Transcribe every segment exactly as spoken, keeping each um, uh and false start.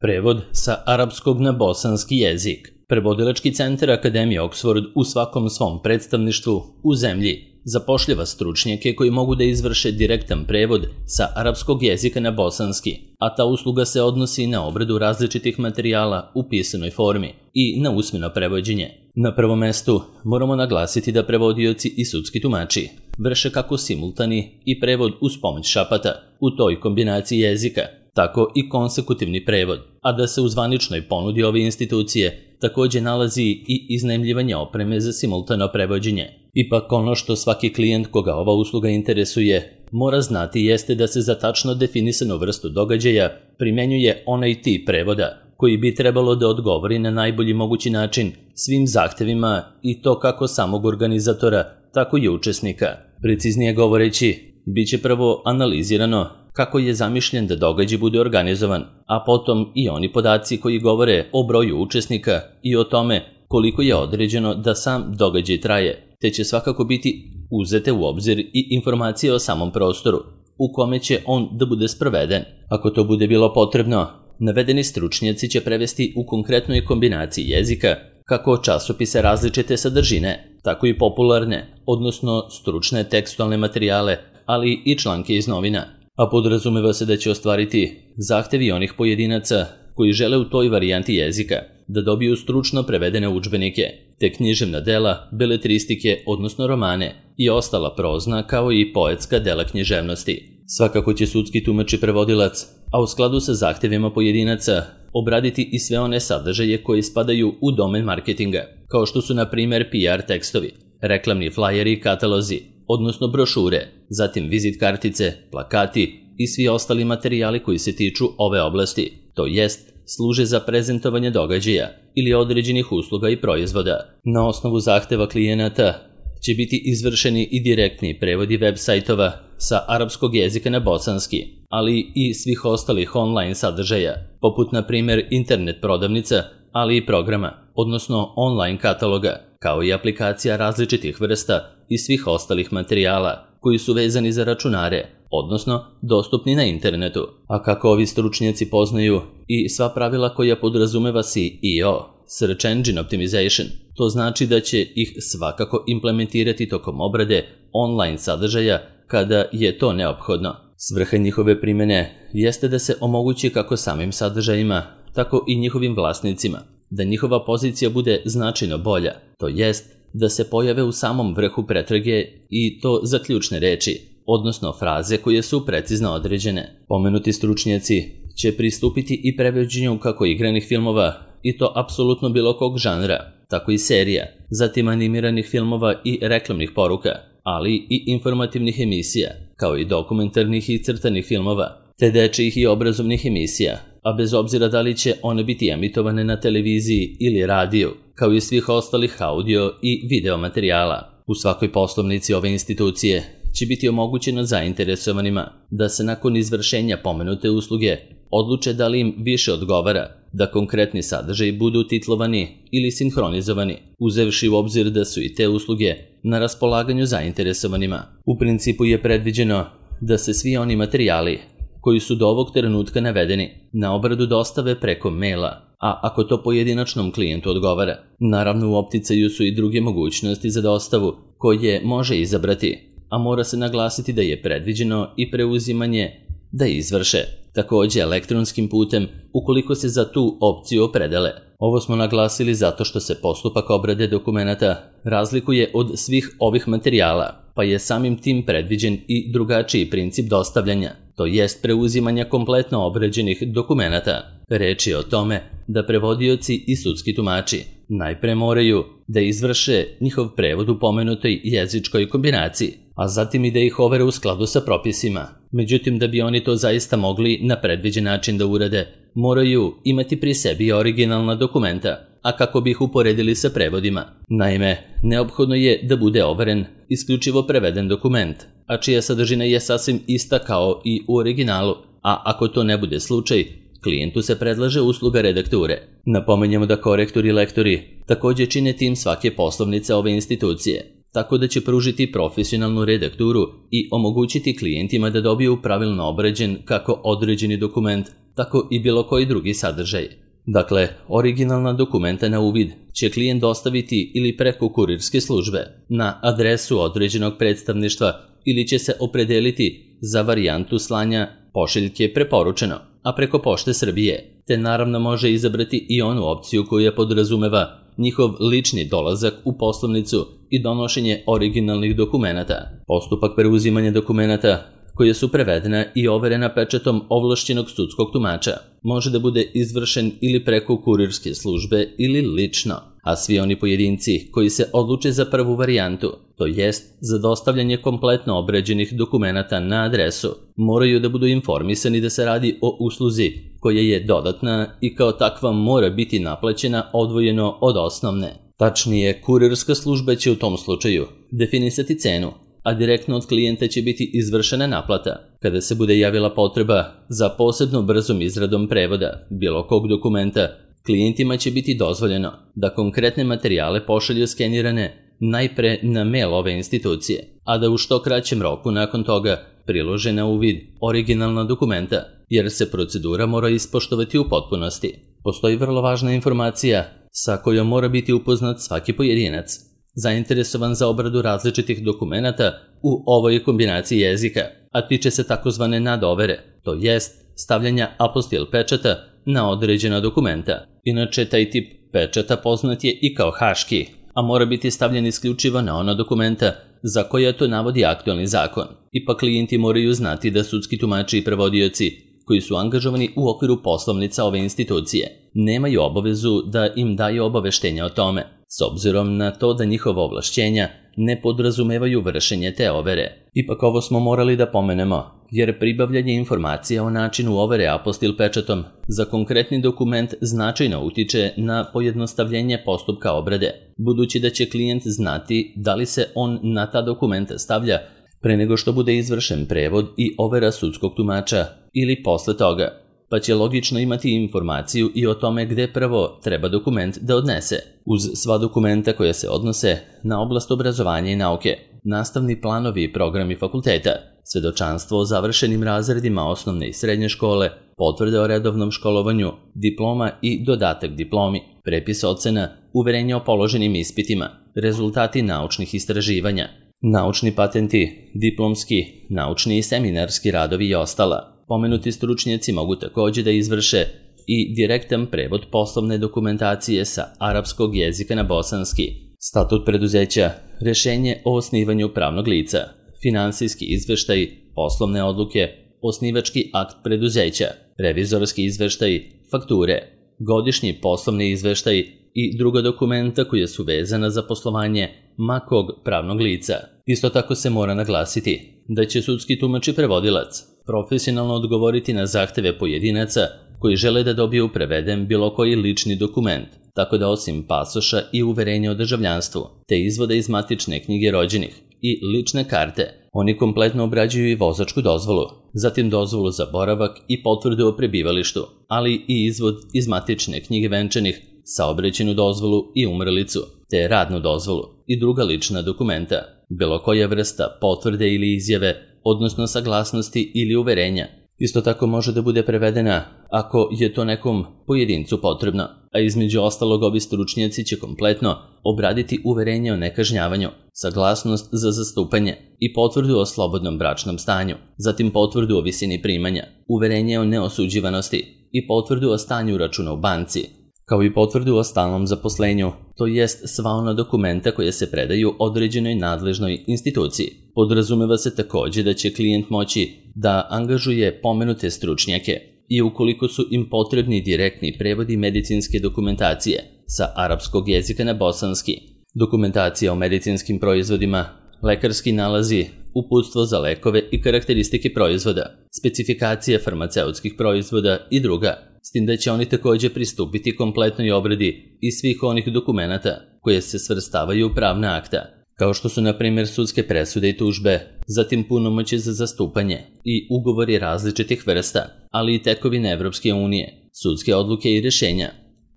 Prevod sa arapskog na bosanski jezik. Prevodilački centar Akademije Oxford u svakom svom predstavništvu u zemlji zapošljava stručnjake koji mogu da izvrše direktan prevod sa arapskog jezika na bosanski, a ta usluga se odnosi na obradu različitih materijala u pisanoj formi i na usmeno prevođenje. Na prvom mestu moramo naglasiti da prevodioci i sudski tumači vrše kako simultani i prevod uz pomoć šapata u toj kombinaciji jezika, tako i konsekutivni prevod, a da se u zvaničnoj ponudi ove institucije također nalazi i iznajmljivanje opreme za simultano prevođenje. Ipak ono što svaki klijent koga ova usluga interesuje mora znati jeste da se za tačno definisanu vrstu događaja primenjuje onaj tip prevoda koji bi trebalo da odgovori na najbolji mogući način svim zahtevima i to kako samog organizatora, tako i učesnika. Preciznije govoreći, bit će prvo analizirano kako je zamišljen da događaj bude organizovan, a potom i oni podaci koji govore o broju učesnika i o tome koliko je određeno da sam događaj traje, te će svakako biti uzete u obzir i informacije o samom prostoru u kome će on da bude sproveden. Ako to bude bilo potrebno, navedeni stručnjaci će prevesti u konkretnoj kombinaciji jezika kako časopise različite sadržine, tako i popularne, odnosno stručne tekstualne materijale, ali i članke iz novina, a podrazumeva se da će ostvariti zahtevi onih pojedinaca koji žele u toj varijanti jezika da dobiju stručno prevedene udžbenike, te književna dela, beletristike, odnosno romane i ostala prozna kao i poetska dela književnosti. Svakako će sudski tumač i prevodilac, a u skladu sa zahtevima pojedinaca, obraditi i sve one sadržaje koji spadaju u domen marketinga, kao što su na primjer P R tekstovi, reklamni flajeri i katalozi, odnosno brošure, zatim vizit kartice, plakati i svi ostali materijali koji se tiču ove oblasti, to jest služe za prezentovanje događaja ili određenih usluga i proizvoda. Na osnovu zahteva klijenata će biti izvršeni i direktni prevodi web sajtova sa arapskog jezika na bosanski, ali i svih ostalih online sadržaja, poput na primjer internet prodavnica, ali i programa, odnosno online kataloga, kao i aplikacija različitih vrsta i svih ostalih materijala koji su vezani za računare, odnosno dostupni na internetu. A kako ovi stručnjaci poznaju i sva pravila koja podrazumeva S E O, Search Engine Optimization, to znači da će ih svakako implementirati tokom obrade online sadržaja kada je to neophodno. Svrha njihove primjene jeste da se omogući kako samim sadržajima, tako i njihovim vlasnicima, da njihova pozicija bude značajno bolja, to jest da se pojave u samom vrhu pretrage i to za ključne reči, odnosno fraze koje su precizno određene. Pomenuti stručnjaci će pristupiti i prevođenju kako igranih filmova, i to apsolutno bilo kog žanra, tako i serija, zatim animiranih filmova i reklamnih poruka, ali i informativnih emisija, kao i dokumentarnih i crtanih filmova, te dečijih i obrazovnih emisija, a bez obzira da li će one biti emitovane na televiziji ili radiju, kao i svih ostalih audio i video materijala. U svakoj poslovnici ove institucije će biti omogućeno zainteresovanima da se nakon izvršenja pomenute usluge odluče da li im više odgovara da konkretni sadržaji budu titlovani ili sinhronizovani, uzevši u obzir da su i te usluge na raspolaganju zainteresovanima. U principu je predviđeno da se svi oni materijali koji su do ovog trenutka navedeni na obradu dostave preko maila, a ako to pojedinačnom klijentu odgovara, naravno u opticaju su i druge mogućnosti za dostavu koje može izabrati, a mora se naglasiti da je predviđeno i preuzimanje da izvrše, također elektronskim putem ukoliko se za tu opciju opredele. Ovo smo naglasili zato što se postupak obrade dokumenata razlikuje od svih ovih materijala, pa je samim tim predviđen i drugačiji princip dostavljanja, to jest preuzimanja kompletno obrađenih dokumenata. Reč je o tome da prevodioci i sudski tumači najpre moraju da izvrše njihov prevod u pomenutoj jezičkoj kombinaciji, a zatim i da ih overe u skladu sa propisima. Međutim, da bi oni to zaista mogli na predviđen način da urade, moraju imati pri sebi originalna dokumenta, a kako bi ih uporedili sa prevodima. Naime, neophodno je da bude overen isključivo preveden dokument, a čija sadržina je sasvim ista kao i u originalu, a ako to ne bude slučaj, klijentu se predlaže usluga redakture. Napomenjamo da korektori i lektori također čine tim svake poslovnice ove institucije, tako da će pružiti profesionalnu redakturu i omogućiti klijentima da dobiju pravilno obrađen kako određeni dokument, tako i bilo koji drugi sadržaj. Dakle, originalna dokumenta na uvid će klijent dostaviti ili preko kurirske službe na adresu određenog predstavništva ili će se opredeliti za varijantu slanja pošiljke preporučeno, a preko Pošte Srbije, te naravno može izabrati i onu opciju koja podrazumeva njihov lični dolazak u poslovnicu i donošenje originalnih dokumenata. Postupak preuzimanja dokumenata koje su prevedena i overena pečatom ovlašćenog sudskog tumača može da bude izvršen ili preko kurirske službe ili lično, a svi oni pojedinci koji se odluče za prvu varijantu, to jest za dostavljanje kompletno obrađenih dokumenata na adresu, moraju da budu informisani da se radi o usluzi koja je dodatna i kao takva mora biti naplaćena odvojeno od osnovne. Tačnije, kurirska služba će u tom slučaju definisati cenu, a direktno od klijenta će biti izvršena naplata. Kada se bude javila potreba za posebno brzom izradom prevoda bilo kog dokumenta, klijentima će biti dozvoljeno da konkretne materijale pošalju skenirane najpre na mail ove institucije, a da u što kraćem roku nakon toga prilože na uvid originalna dokumenta, jer se procedura mora ispoštovati u potpunosti. Postoji vrlo važna informacija sa kojom mora biti upoznat svaki pojedinac zainteresovan za obradu različitih dokumenata u ovoj kombinaciji jezika, a tiče se takozvane nadovere, to jest stavljanja apostil pečata na određena dokumenta. Inače, taj tip pečata poznat je i kao haški, a mora biti stavljen isključivo na ona dokumenta za koja to navodi aktualni zakon. Ipak klijenti moraju znati da sudski tumači i prevodioci koji su angažovani u okviru poslovnica ove institucije nemaju obavezu da im daju obaveštenja o tome, s obzirom na to da njihova ovlašćenja ne podrazumevaju vršenje te overe. Ipak ovo smo morali da pomenemo, jer pribavljanje informacija o načinu overe apostil pečatom za konkretni dokument značajno utiče na pojednostavljenje postupka obrade, budući da će klijent znati da li se on na ta dokumenta stavlja pre nego što bude izvršen prevod i overa sudskog tumača ili posle toga, pa će logično imati informaciju i o tome gde prvo treba dokument da odnese. Uz sva dokumenta koja se odnose na oblast obrazovanja i nauke, nastavni planovi i programi fakulteta, svedočanstvo o završenim razredima osnovne i srednje škole, potvrde o redovnom školovanju, diploma i dodatak diplomi, prepis ocena, uverenje o položenim ispitima, rezultati naučnih istraživanja, naučni patenti, diplomski, naučni i seminarski radovi i ostala. Pomenuti stručnjaci mogu također da izvrše i direktan prevod poslovne dokumentacije sa arapskog jezika na bosanski, statut preduzeća, rešenje o osnivanju pravnog lica, finansijski izveštaj, poslovne odluke, osnivački akt preduzeća, revizorski izveštaj, fakture, godišnji poslovni izveštaj i druga dokumenta koja su vezana za poslovanje makog pravnog lica. Isto tako se mora naglasiti da će sudski tumač i prevodilac profesionalno odgovoriti na zahteve pojedinaca koji žele da dobiju preveden bilo koji lični dokument, tako da osim pasoša i uverenja o državljanstvu, te izvoda iz matične knjige rođenih i lične karte, oni kompletno obrađuju i vozačku dozvolu, zatim dozvolu za boravak i potvrdu o prebivalištu, ali i izvod iz matične knjige venčanih, saobraćajnu dozvolu i umrlicu, te radnu dozvolu i druga lična dokumenta, bilo koja vrsta potvrde ili izjave, odnosno saglasnosti ili uverenja. Isto tako može da bude prevedena ako je to nekom pojedincu potrebno, a između ostalog ovi stručnjaci će kompletno obraditi uverenje o nekažnjavanju, saglasnost za zastupanje i potvrdu o slobodnom bračnom stanju, zatim potvrdu o visini primanja, uverenje o neosuđivanosti i potvrdu o stanju računa u banci, kao i potvrdu o stalnom zaposlenju, to jest sva ona dokumenta koje se predaju određenoj nadležnoj instituciji. Podrazumeva se također da će klijent moći da angažuje pomenute stručnjake i ukoliko su im potrebni direktni prevodi medicinske dokumentacije sa arapskog jezika na bosanski, dokumentacija o medicinskim proizvodima, lekarski nalazi, uputstvo za lekove i karakteristike proizvoda, specifikacije farmaceutskih proizvoda i druga, s tim da će oni također pristupiti kompletnoj obradi i svih onih dokumenata koje se svrstavaju u pravna akta, kao što su na primjer sudske presude i tužbe, zatim punomoćje za zastupanje i ugovori različitih vrsta, ali i tekovine Evropske unije, sudske odluke i rješenja,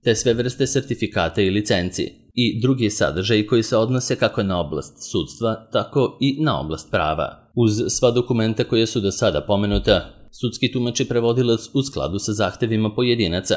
te sve vrste sertifikata i licenci i drugi sadržaji koji se odnose kako na oblast sudstva, tako i na oblast prava. Uz sva dokumenta koje su do sada pomenuta, Sudski tumač i prevodilac u skladu sa zahtevima pojedinaca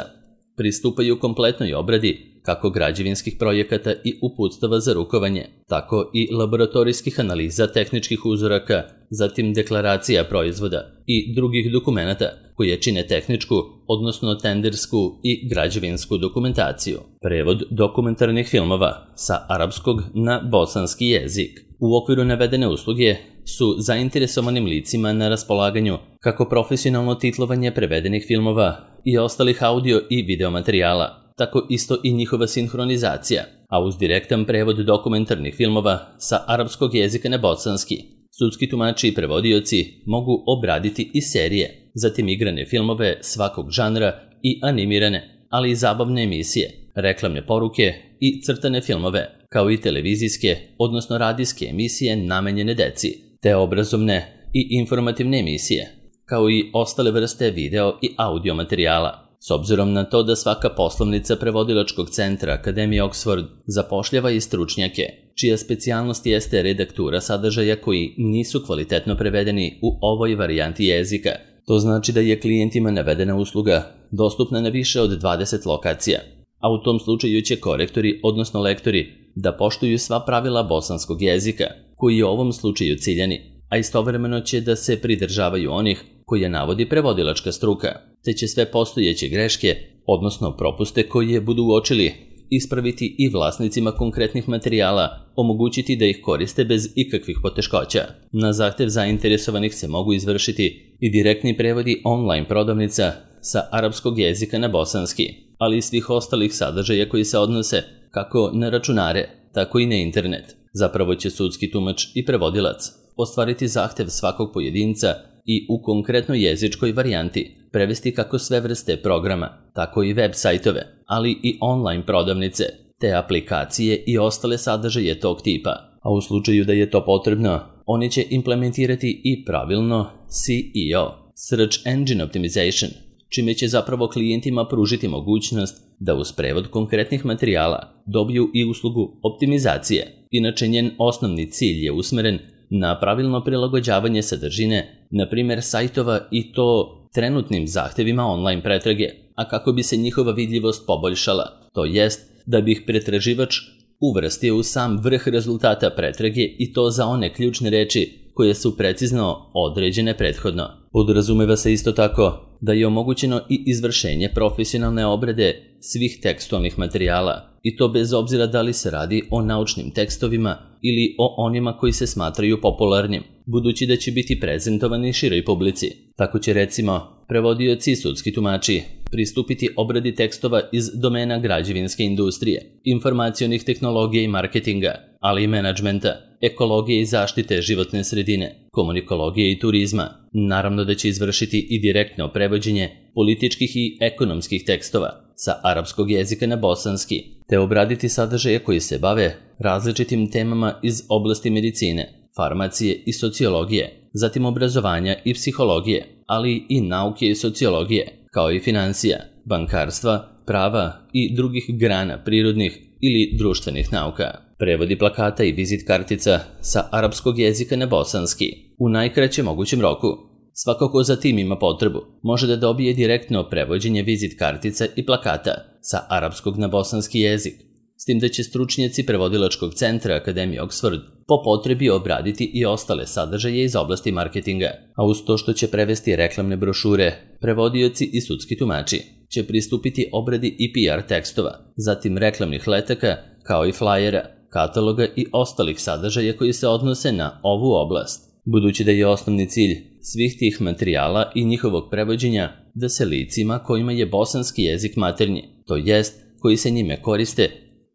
pristupaju kompletnoj obradi kako građevinskih projekata i uputstava za rukovanje, tako i laboratorijskih analiza tehničkih uzoraka, zatim deklaracija proizvoda i drugih dokumenata koje čine tehničku, odnosno tendersku i građevinsku dokumentaciju. Prevod dokumentarnih filmova sa arapskog na bosanski jezik. U okviru navedene usluge su zainteresovanim licima na raspolaganju kako profesionalno titlovanje prevedenih filmova i ostalih audio i video materijala, tako isto i njihova sinhronizacija, a uz direktan prevod dokumentarnih filmova sa arapskog jezika na bosanski, sudski tumači i prevodioci mogu obraditi i serije, zatim igrane filmove svakog žanra i animirane, ali i zabavne emisije, reklamne poruke i crtane filmove, kao i televizijske, odnosno radijske emisije namenjene deci, te obrazovne i informativne emisije, kao i ostale vrste video i audio materijala. S obzirom na to da svaka poslovnica prevodilačkog centra Akademije Oxford zapošljava i stručnjake, čija specijalnost jeste redaktura sadržaja koji nisu kvalitetno prevedeni u ovoj varijanti jezika. To znači da je klijentima navedena usluga dostupna na više od dvadeset lokacija, a u tom slučaju će korektori, odnosno lektori, da poštuju sva pravila bosanskog jezika, koji je u ovom slučaju ciljani, a istovremeno će da se pridržavaju onih koje navodi prevodilačka struka, te će sve postojeće greške, odnosno propuste koje budu uočili, ispraviti i vlasnicima konkretnih materijala, omogućiti da ih koriste bez ikakvih poteškoća. Na zahtev zainteresovanih se mogu izvršiti i direktni prevodi online prodavnica sa arapskog jezika na bosanski, ali i svih ostalih sadržaja koji se odnose kako na računare, tako i na internet. Zapravo će sudski tumač i prevodilac ostvariti zahtev svakog pojedinca i u konkretnoj jezičkoj varijanti prevesti kako sve vrste programa, tako i web sajtove, ali i online prodavnice, te aplikacije i ostale sadržaje tog tipa. A u slučaju da je to potrebno, oni će implementirati i pravilno S E O, Search Engine Optimization, čime će zapravo klijentima pružiti mogućnost da uz prevod konkretnih materijala dobiju i uslugu optimizacije. Inače, njen osnovni cilj je usmeren na pravilno prilagođavanje sadržine, na primjer sajtova, i to trenutnim zahtevima online pretrage, a kako bi se njihova vidljivost poboljšala, to jest da bi ih pretraživač uvrstio u sam vrh rezultata pretrage i to za one ključne reči koje su precizno određene prethodno. Podrazumeva se isto tako da je omogućeno i izvršenje profesionalne obrade svih tekstualnih materijala, i to bez obzira da li se radi o naučnim tekstovima ili o onima koji se smatraju popularnim, budući da će biti prezentovani široj publici. Tako će, recimo, prevodioci i sudski tumači pristupiti obradi tekstova iz domena građevinske industrije, informacionih tehnologija i marketinga, ali i menadžmenta, ekologije i zaštite životne sredine, komunikologije i turizma. Naravno da će izvršiti i direktno prevođenje političkih i ekonomskih tekstova sa arapskog jezika na bosanski, te obraditi sadržaje koji se bave različitim temama iz oblasti medicine, farmacije i sociologije, zatim obrazovanja i psihologije, ali i nauke i sociologije, kao i financija, bankarstva, prava i drugih grana prirodnih ili društvenih nauka. Prevodi plakata i vizit kartica sa arapskog jezika na bosanski u najkraćem mogućem roku. Svako ko za tim ima potrebu može da dobije direktno prevođenje vizit kartica i plakata sa arapskog na bosanski jezik, s tim da će stručnjaci prevodilačkog centra Akademije Oxford po potrebi obraditi i ostale sadržaje iz oblasti marketinga, a uz to što će prevesti reklamne brošure, prevodioci i sudski tumači će pristupiti obradi i P R tekstova, zatim reklamnih letaka, kao i flajera, kataloga i ostalih sadržaja koji se odnose na ovu oblast. Budući da je osnovni cilj svih tih materijala i njihovog prevođenja da se licima kojima je bosanski jezik maternji, to jest koji se njime koriste,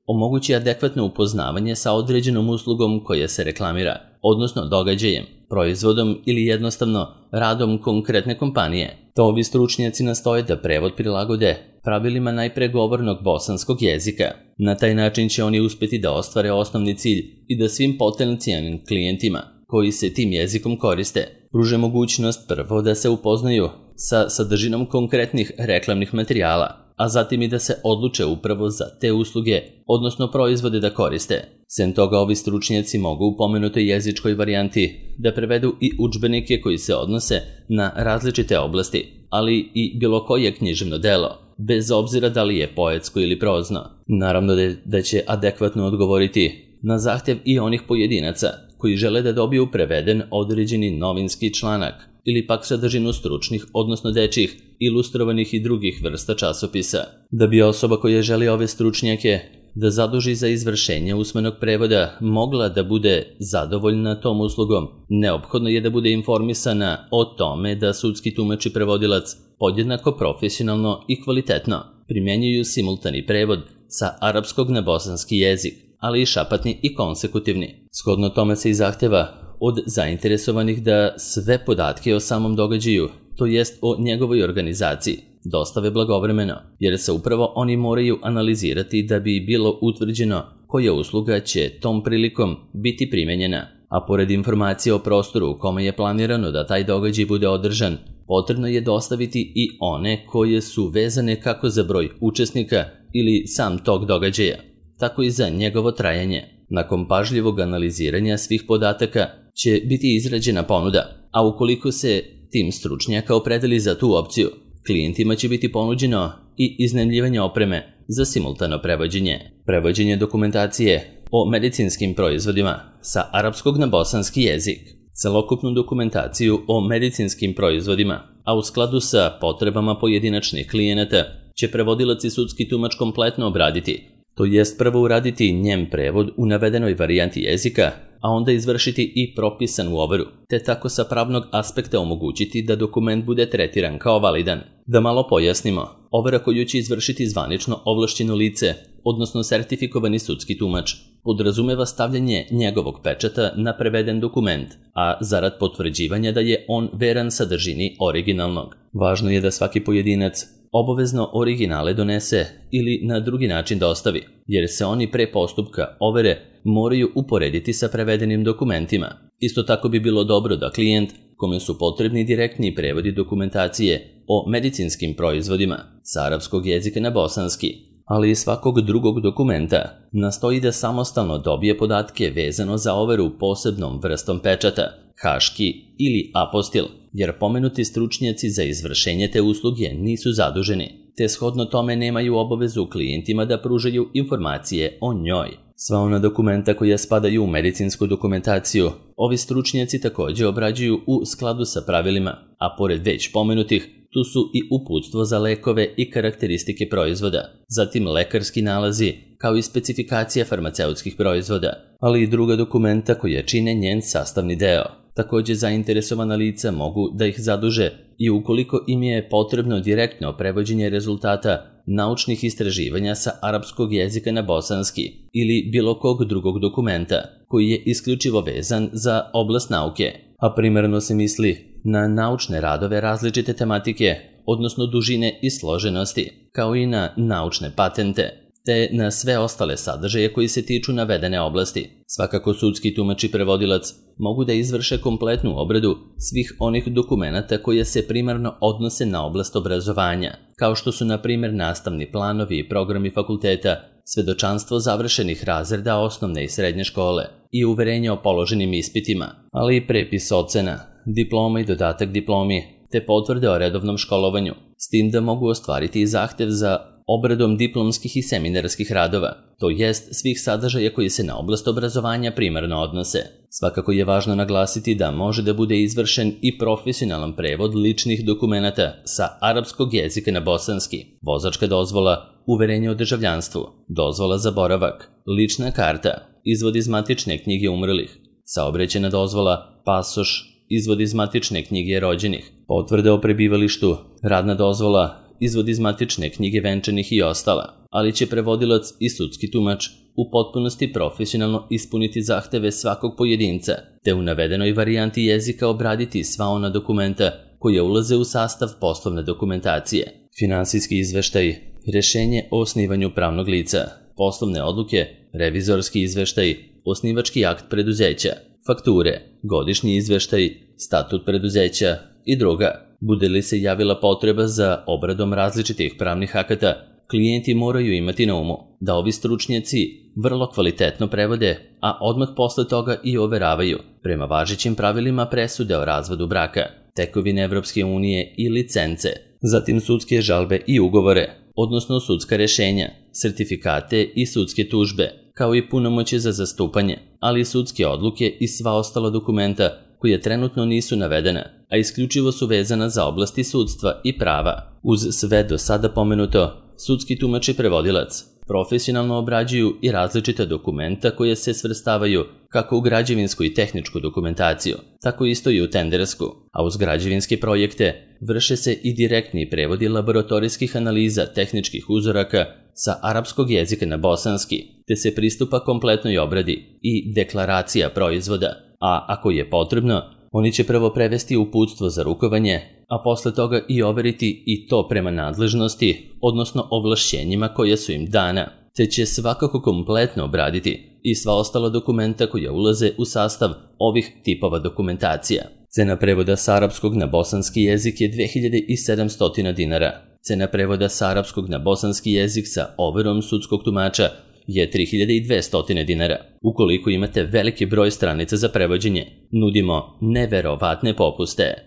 omogući adekvatno upoznavanje sa određenom uslugom koja se reklamira, odnosno događajem, proizvodom ili jednostavno radom konkretne kompanije. To ovi stručnjaci nastoje da prevod prilagode pravilima najpregovornog bosanskog jezika. Na taj način će oni uspjeti da ostvare osnovni cilj i da svim potencijalnim klijentima koji se tim jezikom koriste pruže mogućnost prvo da se upoznaju sa sadržinom konkretnih reklamnih materijala, a zatim i da se odluče upravo za te usluge, odnosno proizvode da koriste. Sem toga, ovi stručnjaci mogu u pomenutoj jezičkoj varijanti da prevedu i udžbenike koji se odnose na različite oblasti, ali i bilo koje književno delo, bez obzira da li je poetsko ili prozno. Naravno da će adekvatno odgovoriti na zahtjev i onih pojedinaca koji žele da dobiju preveden određeni novinski članak ili pak sadržinu stručnih, odnosno dečjih, ilustrovanih i drugih vrsta časopisa. Da bi osoba koja želi ove stručnjake da zaduži za izvršenje usmenog prevoda mogla da bude zadovoljna tom uslugom, neophodno je da bude informisana o tome da sudski tumač i prevodilac podjednako profesionalno i kvalitetno primjenjuju simultani prevod sa arapskog na bosanski jezik, ali i šapatni i konsekutivni. Shodno tome se i zahteva od zainteresovanih da sve podatke o samom događaju, to jest o njegovoj organizaciji, dostave blagovremeno, jer se upravo oni moraju analizirati da bi bilo utvrđeno koja usluga će tom prilikom biti primenjena. A pored informacije o prostoru u kome je planirano da taj događaj bude održan, potrebno je dostaviti i one koje su vezane kako za broj učesnika ili sam tog događaja, tako i za njegovo trajanje. Nakon pažljivog analiziranja svih podataka će biti izrađena ponuda, a ukoliko se tim stručnjaka opredeli za tu opciju, klijentima će biti ponuđeno i iznajmljivanje opreme za simultano prevođenje. Prevođenje dokumentacije o medicinskim proizvodima sa arapskog na bosanski jezik. Celokupnu dokumentaciju o medicinskim proizvodima, a u skladu sa potrebama pojedinačnih klijenata, će prevodilac i sudski tumač kompletno obraditi, to jest prvo uraditi njem prevod u navedenoj varijanti jezika, a onda izvršiti i propisanu overu, te tako sa pravnog aspekta omogućiti da dokument bude tretiran kao validan. Da malo pojasnimo, overa koju će izvršiti zvanično ovlašćeno lice, odnosno sertifikovani sudski tumač, podrazumeva stavljanje njegovog pečata na preveden dokument, a zarad potvrđivanja da je on veran sadržini originalnog. Važno je da svaki pojedinac obavezno originale donese ili na drugi način dostavi, jer se oni pre postupka overe moraju uporediti sa prevedenim dokumentima. Isto tako bi bilo dobro da klijent, kome su potrebni direktni prevodi dokumentacije o medicinskim proizvodima sa arapskog jezika na bosanski, ali i svakog drugog dokumenta, nastoji da samostalno dobije podatke vezano za overu posebnom vrstom pečata, haški ili apostil, jer pomenuti stručnjaci za izvršenje te usluge nisu zaduženi, te shodno tome nemaju obavezu klijentima da pružaju informacije o njoj. Sva ona dokumenta koja spadaju u medicinsku dokumentaciju, ovi stručnjaci također obrađuju u skladu sa pravilima, a pored već pomenutih, tu su i uputstvo za lekove i karakteristike proizvoda, zatim lekarski nalazi, kao i specifikacija farmaceutskih proizvoda, ali i druga dokumenta koja čine njen sastavni deo. Također zainteresovana lica mogu da ih zaduže i ukoliko im je potrebno direktno prevođenje rezultata naučnih istraživanja sa arapskog jezika na bosanski ili bilo kog drugog dokumenta koji je isključivo vezan za oblast nauke, a primarno se misli na naučne radove različite tematike, odnosno dužine i složenosti, kao i na naučne patente, te na sve ostale sadržaje koji se tiču navedene oblasti. Svakako sudski tumač i prevodilac mogu da izvrše kompletnu obradu svih onih dokumenata koje se primarno odnose na oblast obrazovanja, kao što su na primjer nastavni planovi i programi fakulteta, svedočanstvo završenih razreda osnovne i srednje škole i uverenje o položenim ispitima, ali i prepis ocena, diploma i dodatak diplomi, te potvrde o redovnom školovanju, s tim da mogu ostvariti i zahtev za obradom diplomskih i seminarskih radova, to jest svih sadržaja koji se na oblast obrazovanja primarno odnose. Svakako je važno naglasiti da može da bude izvršen i profesionalan prevod ličnih dokumenata sa arapskog jezika na bosanski, vozačka dozvola, uverenje o državljanstvu, dozvola za boravak, lična karta, izvod iz matične knjige umrlih, saobraćajna dozvola, pasoš, izvod iz matične knjige rođenih, potvrde o prebivalištu, radna dozvola, izvod iz matične knjige venčanih i ostala, ali će prevodilac i sudski tumač u potpunosti profesionalno ispuniti zahteve svakog pojedinca, te u navedenoj varijanti jezika obraditi sva ona dokumenta koja ulaze u sastav poslovne dokumentacije, finansijski izveštaj, rešenje o osnivanju pravnog lica, poslovne odluke, revizorski izveštaj, osnivački akt preduzeća, fakture, godišnji izveštaj, statut preduzeća i druga. Bude li se javila potreba za obradom različitih pravnih akata, klijenti moraju imati na umu da ovi stručnjaci vrlo kvalitetno prevode, a odmah posle toga i overavaju prema važećim pravilima presude o razvodu braka, tekovine Evropske unije i licence, zatim sudske žalbe i ugovore, odnosno sudska rešenja, sertifikate i sudske tužbe, kao i punomoćje za zastupanje, ali i sudske odluke i sva ostala dokumenta koje trenutno nisu navedena, a isključivo su vezana za oblasti sudstva i prava. Uz sve do sada pomenuto, sudski tumač i prevodilac profesionalno obrađuju i različita dokumenta koje se svrstavaju kako u građevinsku i tehničku dokumentaciju, tako isto i u tendersku, a uz građevinske projekte vrše se i direktni prevodi laboratorijskih analiza tehničkih uzoraka sa arapskog jezika na bosanski, te se pristupa kompletnoj obradi i deklaracija proizvoda, a ako je potrebno, oni će prvo prevesti uputstvo za rukovanje, a posle toga i overiti i to prema nadležnosti, odnosno ovlašćenjima koja su im dana, te će svakako kompletno obraditi i sva ostala dokumenta koja ulaze u sastav ovih tipova dokumentacija. Cena prevoda sa arapskog na bosanski jezik je dve hiljade sedamsto dinara. Cena prevoda sa arapskog na bosanski jezik sa overom sudskog tumača je tri hiljade dvesta dinara. Ukoliko imate veliki broj stranica za prevođenje, nudimo neverovatne popuste.